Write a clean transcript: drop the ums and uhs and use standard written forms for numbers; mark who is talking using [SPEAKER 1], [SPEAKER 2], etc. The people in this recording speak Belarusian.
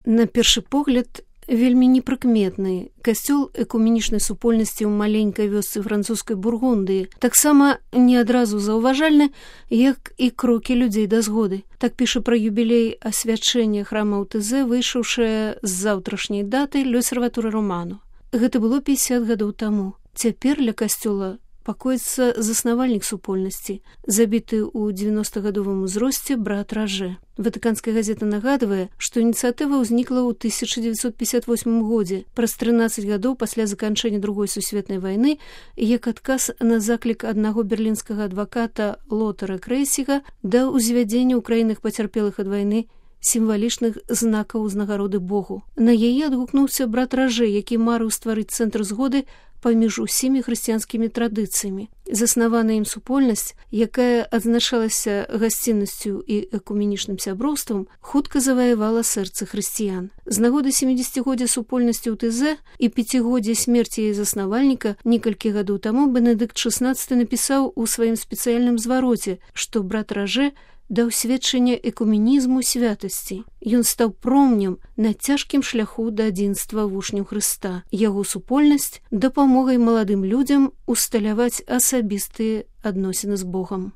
[SPEAKER 1] На першы погляд, вельмі непрыкметны касцёл экуменічнай супольнасці ў маленькай вёсцы французскай Бургундыі, таксама не адразу заўважальны, як і крокі людзей да згоды. Так піша пра юбілей асвячэння храма ў ТЗ, выйшаўшая з заўтрашняй даты l'Osservatore Romano. Гэта было 50 гадоў таму. Цяпер ля касцёла пакоіцца заснавальнік супольнасці, забіты ў 90-гадовым узросце брат Ражэ. Ватыканская газета нагадвае, што ініцыятыва ўзнікла ў 1958 годзе, праз 13 гадоў пасля заканчэння Другой сусветнай вайны, як адказ на заклік аднаго берлінскага адваката Лотара Крейсіга да ўзвядзення ў краінах пацярпелых ад вайны сімвалічных знакаў узнагароды Богу. На яе адгукнуўся брат Ражэ, які марыў стварыць цэнтр згоды паміж усімі хрысціянскімі традыцыямі. Заснаваная ім супольнасць, якая адзначалася гасціннасцю і экуменічным сяброўствам, хутка заваявала сэрцы хрысціян. З нагоды 70-годдзя супольнасці ў ТЗ і 5-годдзя смерці яе заснавальніка некалькі гадоў таму Бенедыкт XVI напісаў у сваім спецыяльным звароце, што брат Ражэ даў сведчанне экуменізму святасці. Ён стаў промнем на цяжкім шляху да адзінства вучняў Хрыста. Яго супольнасць дапамогай маладым людзям усталяваць асабістыя адносіны з Богам.